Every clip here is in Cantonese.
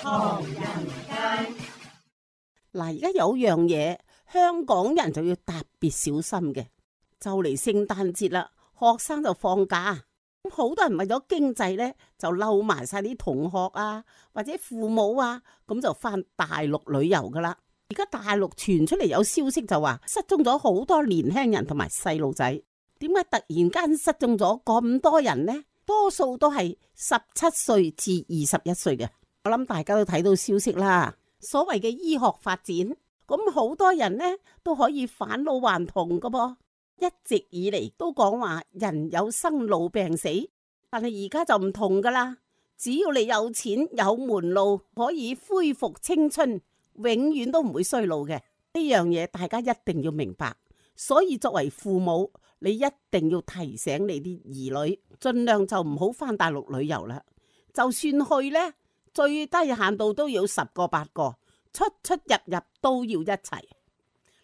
唐人街。嗱，而家有樣嘢，香港人就要特別小心嘅，就嚟聖誕節啦，學生就放假，好多人為咗經濟呢，就溜埋晒啲同學啊，或者父母啊，咁就翻大陸旅遊噶啦。而家大陸傳出嚟有消息就話失蹤咗好多年輕人同埋細路仔，點解突然間失蹤咗咁多人呢？多數都係17歲至21歲嘅。我諗大家都睇到消息啦。所謂嘅醫學發展，咁好多人呢都可以返老還童噶噃。一直以嚟都講話人有生老病死，但係而家就唔同噶啦。只要你有錢有門路，可以恢復青春，永遠都唔會衰老嘅。呢樣嘢大家一定要明白。所以作為父母，你一定要提醒你啲兒女，盡量就唔好返大陸旅遊啦。就算去呢，最低限度都要10個8個，出出入入都要一齊，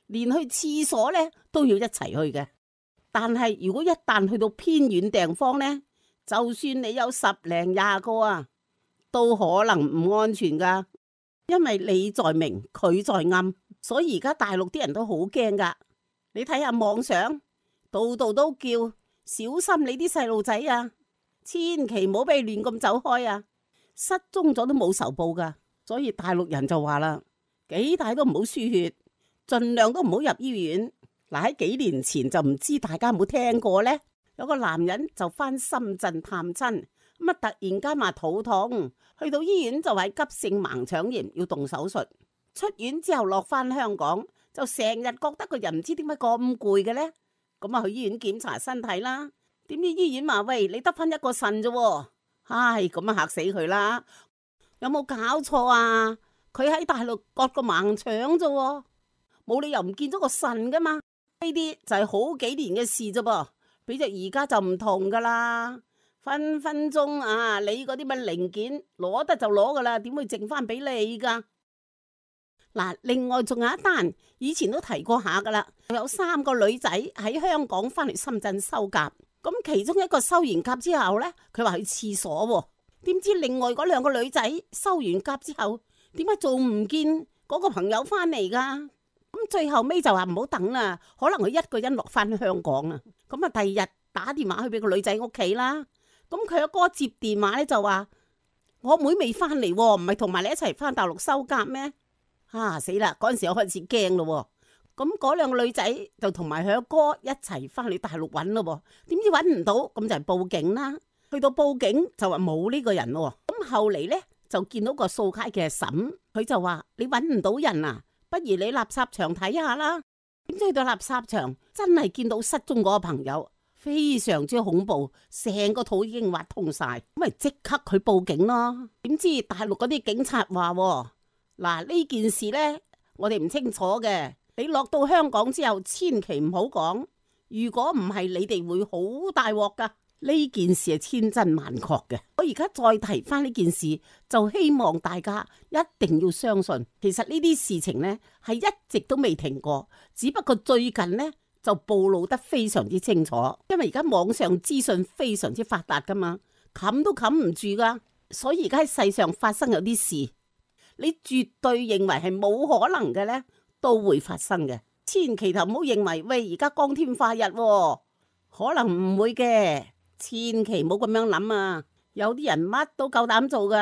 連去廁所呢都要一齊去嘅。但係如果一旦去到偏遠地方呢，就算你有10零20個啊，都可能唔安全噶，因為你在明，佢在暗，所以而家大陸啲人都好驚噶。你睇下網上，度度都叫小心你啲細路仔啊，千祈唔好俾亂咁走開啊！失蹤咗都冇仇報噶，所以大陸人就話啦，幾大都唔好輸血，盡量都唔好入醫院。嗱，喺幾年前就唔知大家有冇聽過呢？有個男人就翻深圳探親，咁啊突然間話肚痛，去到醫院就係急性盲腸炎要動手術。出院之後落翻香港，就成日覺得個人唔知點解咁攰嘅呢。咁啊去醫院檢查身體啦，點知醫院話喂，你得翻1個腎啫。唉，咁啊嚇死佢啦！有冇搞錯啊？佢喺大陸割個盲腸啫，冇理由唔見咗個腎噶嘛？呢啲就係好幾年嘅事啫噃，比著而家就唔同噶啦，分分鐘啊，你嗰啲乜零件攞得就攞噶啦，點會剩翻俾你噶？嗱，另外仲有一單，以前都提過下噶啦，有3個女仔喺香港翻嚟深圳收甲。咁其中一個收完甲之後呢，佢話去廁所喎，點知另外嗰2個女仔收完甲之後，點解仲唔見嗰個朋友翻嚟噶？咁最後尾就話唔好等啦，可能佢一個人落翻香港啊。咁啊，第二日打電話去俾個女仔屋企啦。咁佢阿哥接電話呢，就話：我妹未翻嚟，唔係同埋你一齊翻大陸收甲咩？死啦！嗰陣時我開始驚咯。咁嗰2個女仔就同埋佢阿哥一齊翻去大陸揾咯，點知揾唔到，咁就係報警啦。去到報警就話冇呢個人咯。咁後嚟呢，就見到個掃街嘅嬸，佢就話：你揾唔到人啊，不如你垃圾場睇下啦。點知去到垃圾場真係見到失蹤嗰個朋友，非常之恐怖，成個肚已經挖通晒，咁咪即刻去報警咯。點知大陸嗰啲警察話：嗱，呢件事呢，我哋唔清楚嘅。你落到香港之後，千祈唔好講。如果唔係，你哋會好大鑊噶。呢件事係千真萬確嘅。我而家再提翻呢件事，就希望大家一定要相信，其實呢啲事情呢係一直都未停過，只不過最近呢就暴露得非常之清楚。因為而家網上資訊非常之發達噶嘛，冚都冚唔住噶。所以而家喺世上發生有啲事，你絕對認為係冇可能嘅呢，都會發生嘅，千祈就唔好認為喂而家光天化日，可能唔會嘅，千祈唔好咁樣諗啊！有啲人乜都夠膽做噶，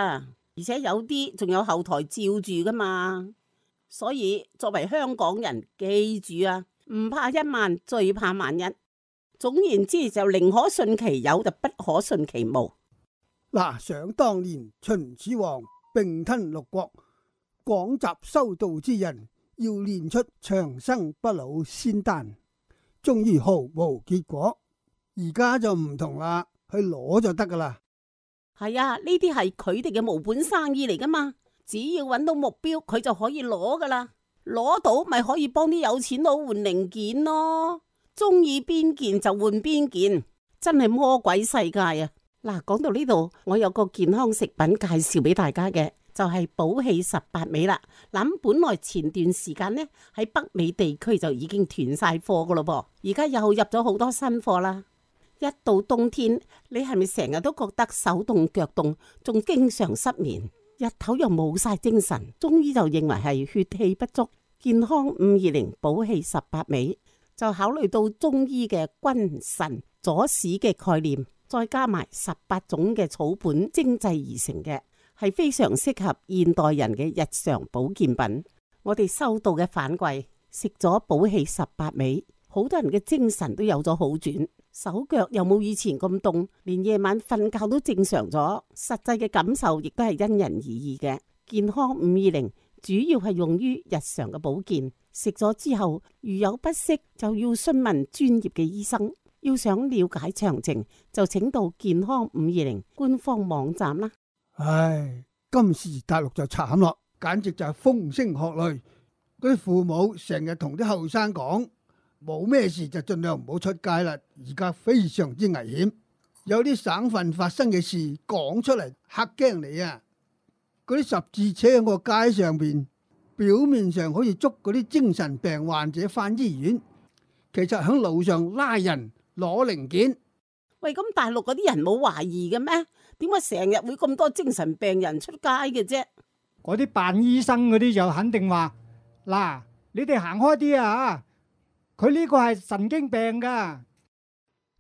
而且有啲仲有後台照住噶嘛。所以作為香港人，記住啊，唔怕1萬，最怕萬一。總言之，就寧可信其有，就不可信其無。嗱，想當年秦始皇併吞6國，廣集修道之人，要練出長生不老仙丹，終於毫無結果。而家就唔同啦，去攞就得噶啦。係啊，呢啲係佢哋嘅無本生意嚟噶嘛，只要揾到目標，佢就可以攞噶啦。攞到咪可以幫啲有錢佬換零件咯，中意邊件就換邊件，真係魔鬼世界啊！嗱，講到呢度，我有個健康食品介紹俾大家嘅。就係寶氣18味啦。諗本來前段時間呢，喺北美地區就已經斷晒貨噶咯噃，而家又入咗好多新貨啦。一到冬天，你係咪成日都覺得手凍腳凍，仲經常失眠？日頭又冇晒精神，中醫就認為係血氣不足。健康520補氣18味，就考慮到中醫嘅君臣佐使嘅概念，再加埋18種嘅草本精製而成嘅，係非常適合現代人嘅日常保健品。我哋收到嘅反饋，食咗補氣18味，好多人嘅精神都有咗好轉，手腳又冇以前咁凍，連夜晚瞓覺都正常咗。實際嘅感受亦都係因人而異嘅。健康520主要係用於日常嘅保健，食咗之後如有不適就要詢問專業嘅醫生。要想了解詳情，就請到健康520官方網站啦。唉，今時大陸就慘咯，簡直就係風聲鶴唳。嗰啲父母成日同啲後生講，冇咩事就盡量唔好出街啦，而家非常之危險。有啲省份發生嘅事講出嚟嚇驚你啊！嗰啲十字車喺個街上邊，表面上好似捉嗰啲精神病患者返醫院，其實喺路上拉人攞零件。喂，咁大陸嗰啲人冇懷疑嘅咩？點解成日會咁多精神病人出街嘅啫？嗰啲扮醫生嗰啲就肯定話：嗱，你哋行開啲啊！佢呢個係神經病噶。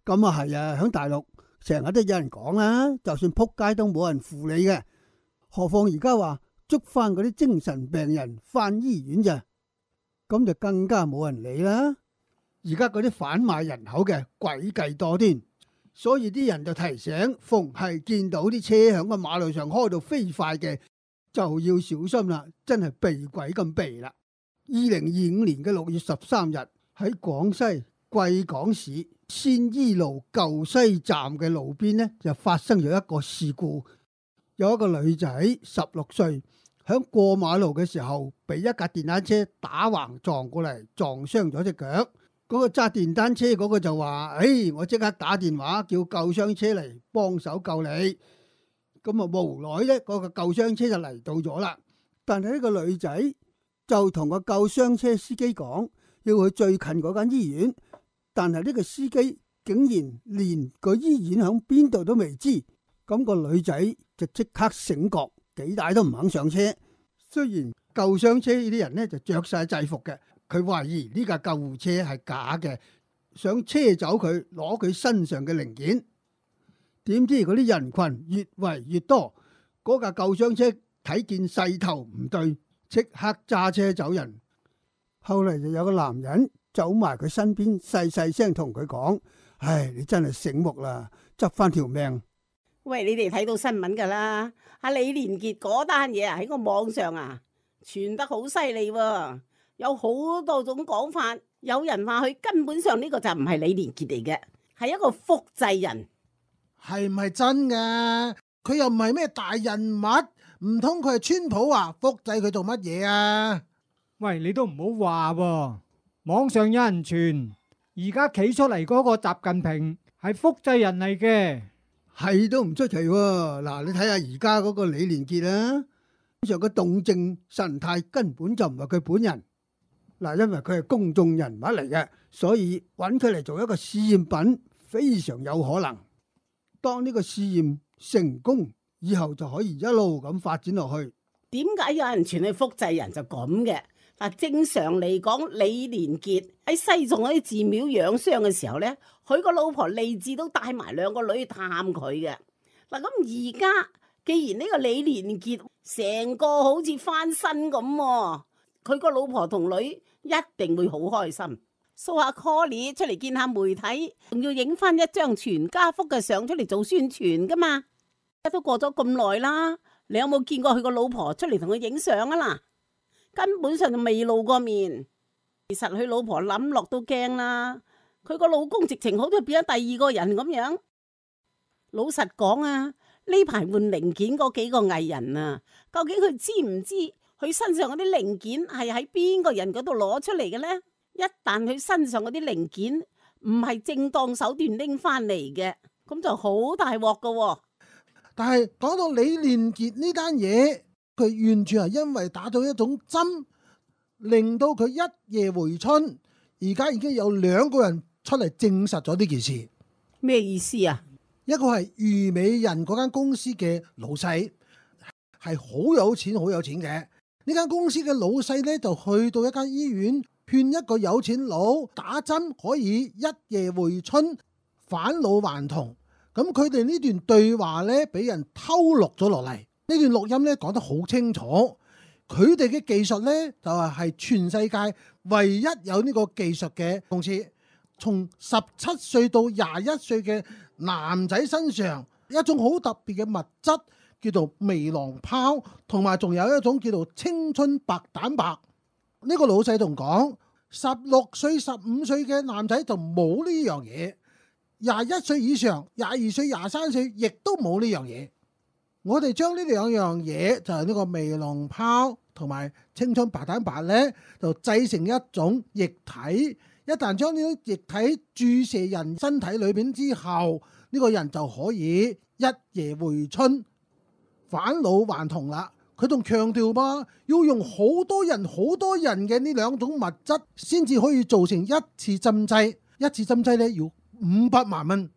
咁啊係啊，喺大陸成日都有人講啦，就算撲街都冇人扶你嘅。何況而家話捉翻嗰啲精神病人翻醫院咋，咁就更加冇人理啦。而家嗰啲販賣人口嘅詭計多端，所以啲人就提醒，逢係見到啲車響個馬路上開到飛快嘅，就要小心啦，真係避鬼咁避啦。2025年嘅6月13日喺廣西貴港市鮮衣路舊西站嘅路邊呢，就發生咗一個事故。有一個女仔16歲，響過馬路嘅時候，俾一架電單車打橫撞過嚟，撞傷咗隻腳。嗰個揸電單車嗰個就話：我即刻打電話叫救傷車嚟幫手救你。咁啊，無奈呢，嗰個救傷車就嚟到咗啦。但係呢個女仔就同個救傷車司機講要去最近嗰間醫院，但係呢個司機竟然連個醫院響邊度都未知。咁個女仔就即刻醒覺，幾大都唔肯上車。雖然救傷車呢啲人呢就着晒制服嘅，佢懷疑呢架救護車係假嘅，想車走佢，攞佢身上嘅零件。點知嗰啲人群越圍越多，嗰架救傷車睇見勢頭唔對，即刻揸車走人。後嚟就有個男人走埋佢身邊，細細聲同佢講：你真係醒目啦，執翻條命。喂，你哋睇到新聞噶啦，阿李連杰嗰單嘢喺個網上傳得好犀利喎，有好多種講法。有人話佢根本上呢個就唔係李連杰嚟嘅，係一個複製人。係唔係真噶？佢又唔係咩大人物，唔通佢係川普啊？複製佢做乜嘢啊？喂，你都唔好話喎，網上有人傳，而家企出嚟嗰個習近平係複製人嚟嘅。係都唔出奇喎。嗱，你睇下而家嗰個李連杰啦，上個動靜神態根本就唔係佢本人。嗱，因為佢係公眾人物嚟嘅，所以揾佢嚟做一個試驗品非常有可能。當呢個試驗成功以後，就可以一路咁發展落去。點解有人傳佢複製人就咁嘅？嗱，正常嚟講，李連杰喺西藏嗰啲寺廟養傷嘅時候呢，佢個老婆利智都帶埋2個女去探佢嘅。嗱，咁而家既然呢個李連杰成個好似翻身咁，佢個老婆同女一定會好開心，掃下 call 出嚟見下媒體，仲要影翻一張全家福嘅相出嚟做宣傳噶嘛。都過咗咁耐啦，你有冇見過佢個老婆出嚟同佢影相啊？嗱，根本上就未露過面。其實佢老婆諗落都驚啦，佢個老公直情好似變咗第2個人咁樣。老實講啊，呢排換零件嗰幾個藝人啊，究竟佢知唔知佢身上嗰啲零件係喺邊個人嗰度攞出嚟嘅呢？一旦佢身上嗰啲零件唔係正當手段拎翻嚟嘅，咁就好大鑊噶。但係講到李連杰呢單嘢，佢完全係因為打咗一種針，令到佢一夜回春。而家已經有2個人出嚟證實咗呢件事。咩意思啊？一個係虞美人嗰間公司嘅老細，係好有錢好有錢嘅。呢間公司嘅老細呢，就去到一間醫院，勸一個有錢佬打針可以一夜回春返老還童。咁佢哋呢段對話呢，俾人偷錄咗落嚟。呢段錄音呢，講得好清楚，佢哋嘅技術呢，就係全世界唯一有呢個技術嘅公司。從17歲到21歲嘅男仔身上，一種好特別嘅物質叫做微囊泡，同埋仲有一種叫做青春白蛋白。呢個老細仲講，16歲、15歲嘅男仔就冇呢樣嘢，21歲以上、22歲、23歲亦都冇呢樣嘢。我哋將呢兩樣嘢，就係呢個微囊泡同埋青春白蛋白呢，就製成一種液體。一旦將呢種液體注射人身體裏邊之後，呢個人就可以一夜回春返老還童啦。佢仲強調噃，要用好多人嘅呢兩種物質先至可以做成一次針劑。一次針劑呢要500萬蚊。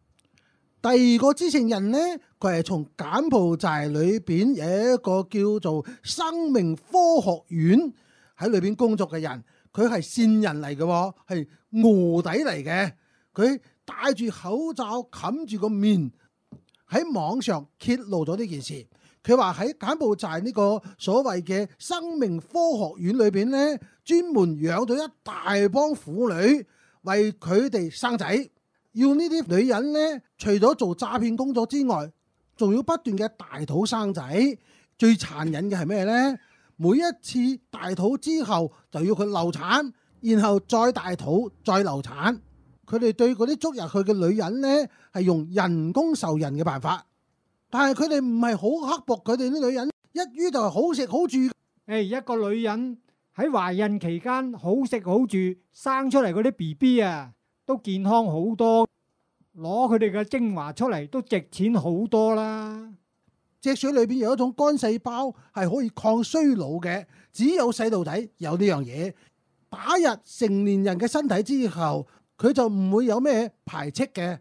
第二個知情人呢，佢係從柬埔寨裏邊有一個叫做生命科學院喺裏邊工作嘅人。佢係線人嚟嘅，係臥底嚟嘅。佢戴住口罩冚住個面，喺網上揭露咗呢件事。佢話喺柬埔寨呢個所謂嘅生命科學院裏邊呢，專門養咗一大幫婦女為佢哋生仔。要呢啲女人呢，除咗做詐騙工作之外，仲要不斷嘅大肚生仔。最殘忍嘅係咩呢？每一次大肚之後就要佢流產，然後再大肚再流產。佢哋對嗰啲捉入去嘅女人呢，係用人工受孕嘅辦法，但係佢哋唔係好刻薄。佢哋啲女人一於就係好食好住。一個女人喺懷孕期間好食好住，生出嚟嗰啲 BB 啊，都健康好多，攞佢哋嘅精華出嚟都值錢好多啦。隻水裏邊有一種肝細胞係可以抗衰老嘅，只有細路仔有呢樣嘢。打入成年人嘅身體之後，佢就唔會有咩排斥嘅。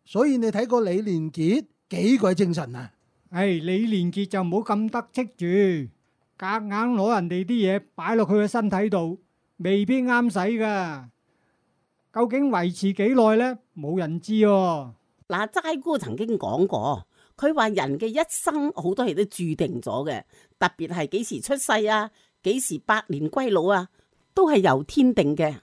所以你睇過李連杰幾鬼精神啊？李連杰就唔好咁得戚住，夾硬攞人哋啲嘢擺落佢嘅身體度，未必啱使噶。究竟維持幾耐呢？冇人知喎。嗱，齋姑曾經講過。佢話人嘅一生好多嘢都注定咗嘅，特別係幾時出世啊，幾時百年歸老啊，都係由天定嘅。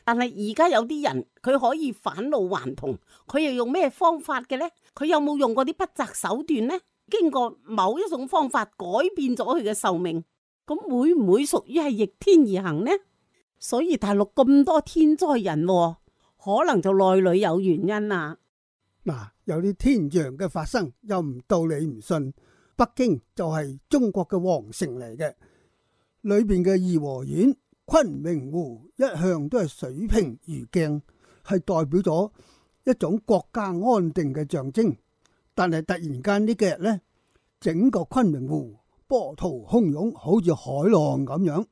但係而家有啲人佢可以返老還童，佢又用咩方法嘅呢？佢有冇用過啲不擇手段呢？經過某一種方法改變咗佢嘅壽命，咁會唔會屬於係逆天而行呢？所以大陸咁多天災人禍，可能就內裏有原因啊。嗱，有啲天象嘅發生，又唔到你唔信。北京就係中國嘅皇城嚟嘅，裏邊嘅頤和園、昆明湖一向都係水平如鏡，係代表咗一種國家安定嘅象徵。但係突然間呢幾日呢，整個昆明湖波濤洶湧，好似海浪咁樣，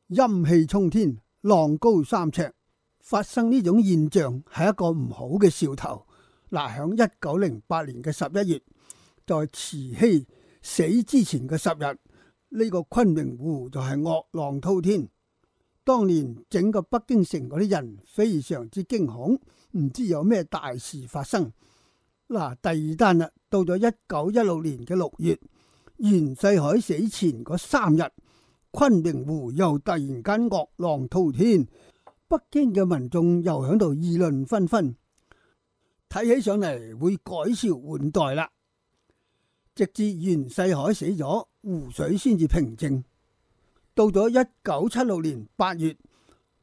陰氣沖天，浪高3尺。發生呢種現象係一個唔好嘅兆頭。嗱，響1908年嘅11月，在慈禧死之前嘅10日，呢個昆明湖就係惡浪滔天。當年整個北京城嗰啲人非常之驚恐，唔知有咩大事發生。嗱，第二單啦，到咗1916年嘅6月，袁世凱死前嗰3日，昆明湖又突然間惡浪滔天，北京嘅民眾又響度議論紛紛。睇起上嚟會改朝換代啦，直至袁世凱死咗，湖水先至平靜。到咗1976年8月，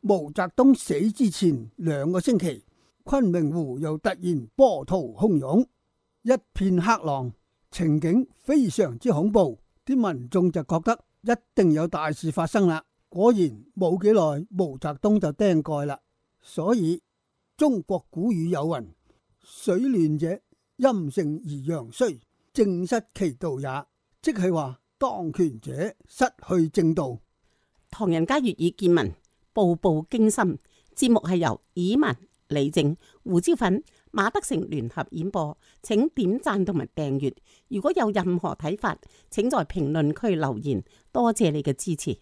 毛澤東死之前2個星期，昆明湖又突然波濤洶湧，一片黑浪，情景非常之恐怖。啲民眾就覺得一定有大事發生啦。果然冇幾耐，毛澤東就釘蓋啦。所以中國古語有云：水亂者，陰盛而陽衰，正失其道也。即係話當權者失去正道。唐人街粵語見聞，步步驚心。節目係由以文、李靜、胡椒粉、馬德成聯合演播，請點讚同埋訂閱。如果有任何睇法，請在評論區留言。多謝你嘅支持。